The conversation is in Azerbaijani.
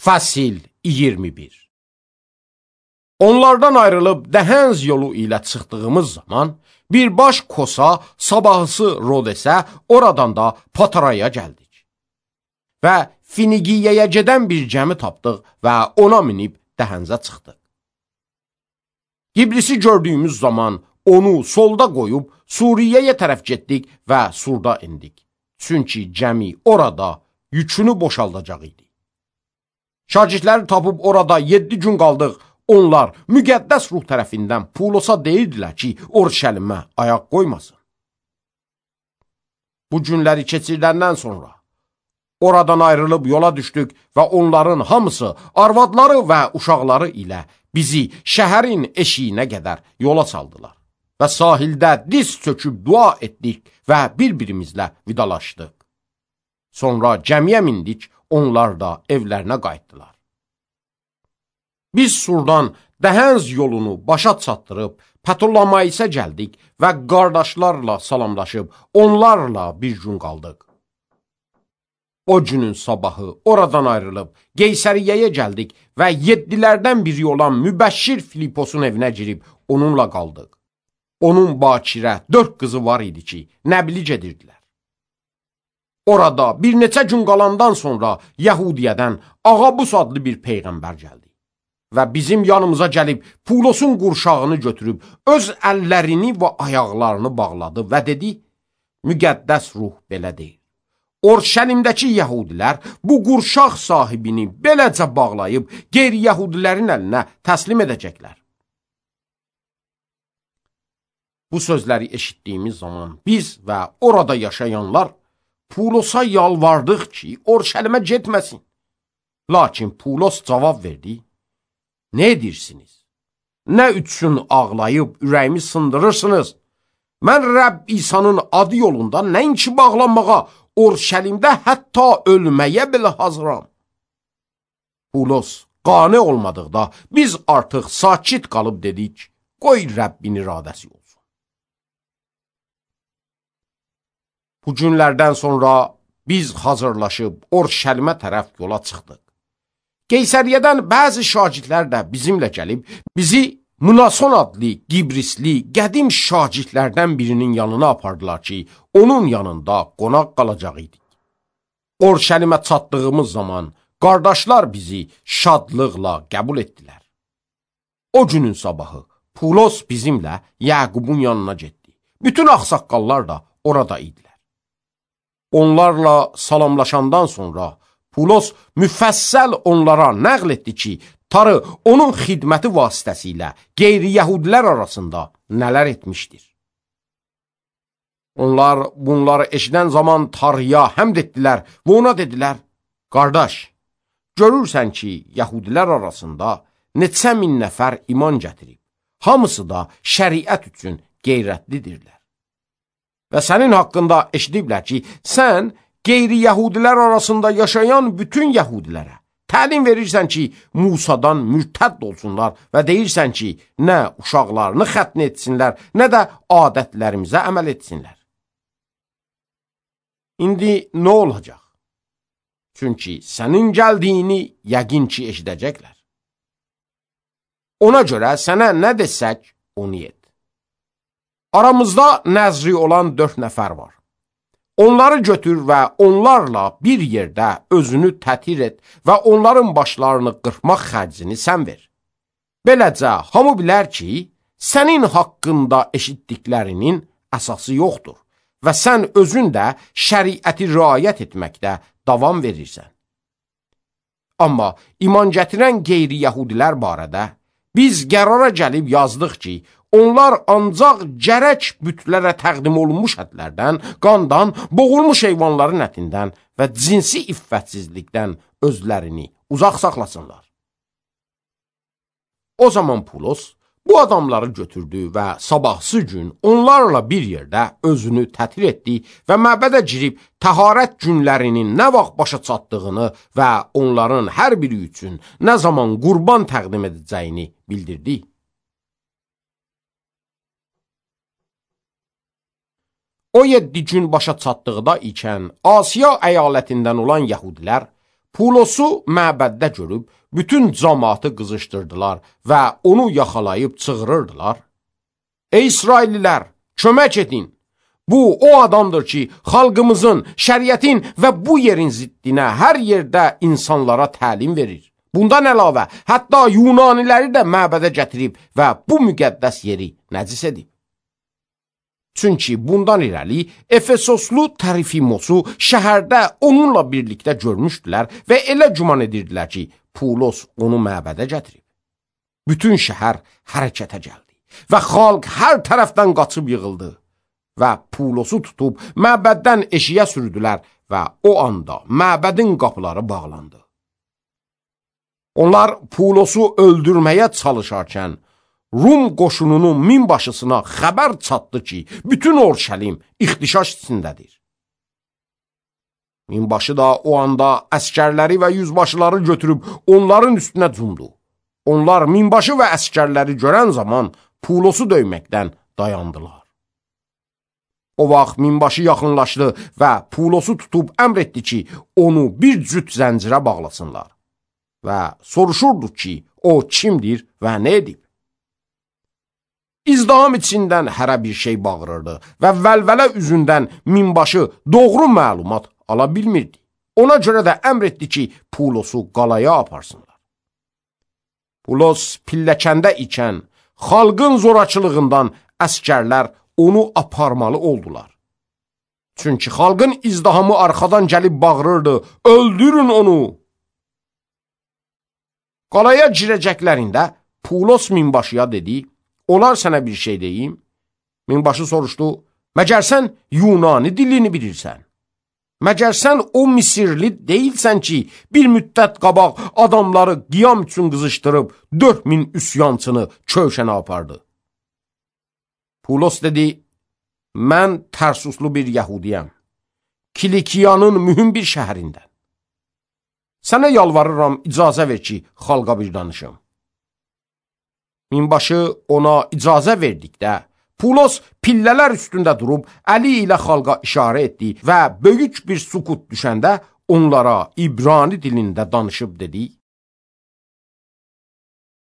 Fəsil 21. Onlardan ayrılıb Dəhənz yolu ilə çıxdığımız zaman birbaş Kosa, sabahısı Rodesə, oradan da Pataraya gəldik. Və Finigiyaya gedən bir gəmi tapdıq və ona minib Dəhənzə çıxdıq. Qibrisi gördüyümüz zaman onu solda qoyub Suriyaya tərəf getdik və Surda indik. Çünki gəmi orada yükünü boşaldacaq idi. Şagirdləri tapıb orada 7 gün qaldıq. Onlar müqəddəs ruh tərəfindən Pulosa deyirdilər ki, Orşəlimə ayaq qoymasın. Bu günləri keçirdəndən sonra oradan ayrılıb yola düşdük və onların hamısı arvadları və uşaqları ilə bizi şəhərin eşiyinə qədər yola saldılar. Və sahildə diz çöküb dua etdik və bir-birimizlə vidalaşdıq. Sonra gəmiyə mindik, onlar da evlərinə qayıtdılar. Biz Surdan Dəhənz yolunu başa çatdırıb Ptolemaisə gəldik və qardaşlarla salamlaşıb onlarla bir gün qaldıq. O günün sabahı oradan ayrılıb Qeysəriyəyə gəldik və 7-lərdən biri olan Mübəşşir Filiposun evinə girib onunla qaldıq. Onun bakirə 4 qızı var idi ki, nəbili gedirdilər. Orada bir neçə gün qalandan sonra Yəhudiyədən Ağabus adlı bir peyğəmbər gəldi. Və bizim yanımıza gəlib Pulosun qurşağını götürüb öz əllərini və ayaqlarını bağladı və dedi, müqəddəs ruh belə deyir. Orşəlimdəki yəhudilər bu qurşaq sahibini beləcə bağlayıb qeyri-yəhudilərin əlinə təslim edəcəklər. Bu sözləri eşitdiyimiz zaman biz və orada yaşayanlar Pulosa yalvardıq ki, Orşəlimə getməsin. Lakin Pulos cavab verdi, nə edirsiniz? Nə üçün ağlayıb ürəyimi sındırırsınız? Mən Rəbb İsa'nın adı yolunda nəinki bağlanmağa, Orşəlimdə hətta ölməyə belə hazıram. Pulos qane olmadıqda biz artıq sakit qalıb dedik, qoy Rəbbin iradəsi olsun. Bu günlərdən sonra biz hazırlaşıb Orşəlimə tərəf yola çıxdıq. Qeysəriyədən bəzi şagirdlər də bizimlə gəlib, bizi Mnason adlı Qibrisli qədim şagirdlərdən birinin yanına apardılar ki, onun yanında qonaq qalacaq idik. Orşəlimə çatdığımız zaman qardaşlar bizi şadlıqla qəbul etdilər. O günün sabahı Pulos bizimlə Yaqubun yanına getdi. Bütün ağsaqqallar da orada idilər. Onlarla salamlaşandan sonra Pulos müfəssəl onlara nəql etdi ki, Tarı onun xidməti vasitəsilə qeyri-yəhudilər arasında nələr etmişdir. Onlar bunları eşidən zaman Tarıya həmd etdilər və ona dedilər, qardaş, görürsən ki, yəhudilər arasında neçə min nəfər iman gətirib, hamısı da şəriət üçün qeyrətlidirlər. Və sənin haqqında eşidiblər ki, sən qeyri-yəhudilər arasında yaşayan bütün yəhudilərə təlim verirsən ki, Musadan mürtədd olsunlar və deyirsən ki, nə uşaqlarını xətn etsinlər, nə də adətlərimizə əməl etsinlər. İndi nə olacaq? Çünki sənin gəldiyini yəqin ki, eşidəcəklər. Ona görə sənə nə desək, onu et. Aramızda nəzri olan 4 nəfər var. Onları götür və onlarla bir yerdə özünü tətir et və onların başlarını qırpmaq xərcini sən ver. Beləcə, hamı bilər ki, sənin haqqında eşitdiklərinin əsası yoxdur və sən özün də şəriəti riayət etməkdə davam verirsən. Amma iman gətirən qeyri-yəhudilər barədə biz qərara gəlib yazdıq ki, onlar ancaq gərək bütlərə təqdim olunmuş ətlərdən, qandan, boğulmuş heyvanların ətindən və cinsi iffətsizlikdən özlərini uzaq saxlasınlar. O zaman Pulos bu adamları götürdü və sabahsı gün onlarla bir yerdə özünü tətir etdi və məbədə girib təharət günlərinin nə vaxt başa çatdığını və onların hər biri üçün nə zaman qurban təqdim edəcəyini bildirdi. O 7 gün başa çatdıqda ikən Asiya əyalətindən olan yəhudilər Pulosu məbəddə görüb, bütün cəmaatı qızışdırdılar və onu yaxalayıb çığırırdılar. Ey İsraillilər, kömək edin! Bu, o adamdır ki, xalqımızın, şəriətin və bu yerin ziddinə hər yerdə insanlara təlim verir. Bundan əlavə, hətta Yunaniləri də məbədə gətirib və bu müqəddəs yeri nəcis edib. Çünki bundan irəli Efesoslu Trofimosu şəhərdə onunla birlikdə görmüşdülər və elə güman edirdilər ki, Pulos onu məbədə gətirib. Bütün şəhər hərəkətə gəldi və xalq hər tərəfdən qaçıb yığıldı və Pulosu tutub məbəddən eşiyə sürdülər və o anda məbədin qapıları bağlandı. Onlar Pulosu öldürməyə çalışarkən Rum qoşununun minbaşısına xəbər çatdı ki, bütün Orşəlim ixtişaş içindədir. Minbaşı da o anda əskərləri və yüzbaşıları götürüb onların üstünə cumdu. Onlar minbaşı və əskərləri görən zaman Pulosu döyməkdən dayandılar. O vaxt minbaşı yaxınlaşdı və Pulosu tutub əmr etdi ki, onu bir cüt zəncirə bağlasınlar və soruşurdu ki, o kimdir və nə edib? İzdiham içindən hərə bir şey bağırırdı və vəlvələ üzündən minbaşı doğru məlumat ala bilmirdi. Ona görə də əmr etdi ki, Pulosu qalaya aparsınlar. Pulos pilləkəndə ikən xalqın zorakılığından əskərlər onu aparmalı oldular. Çünki xalqın izdihamı arxadan gəlib bağırırdı, öldürün onu! Qalaya girəcəklərində Pulos minbaşıya dedi, olar sənə bir şey deyim. Minbaşı soruşdu, məgər sən Yunani dilini bilirsən? Məgər sən o Misirli deyilsən ki, bir müddət qabaq adamları qiyam üçün qızışdırıb 4000 üsyançını köşənə apardı? Pulos dedi, mən Tərsuslu bir yəhudiyəm, Kilikiyanın mühüm bir şəhərindən. Sənə yalvarıram, icazə ver ki, xalqa bir danışım. Minbaşı ona icazə verdikdə, Pulos pillələr üstündə durub, əli ilə xalqa işarə etdi və böyük bir sukut düşəndə onlara İbrani dilində danışıb dedi,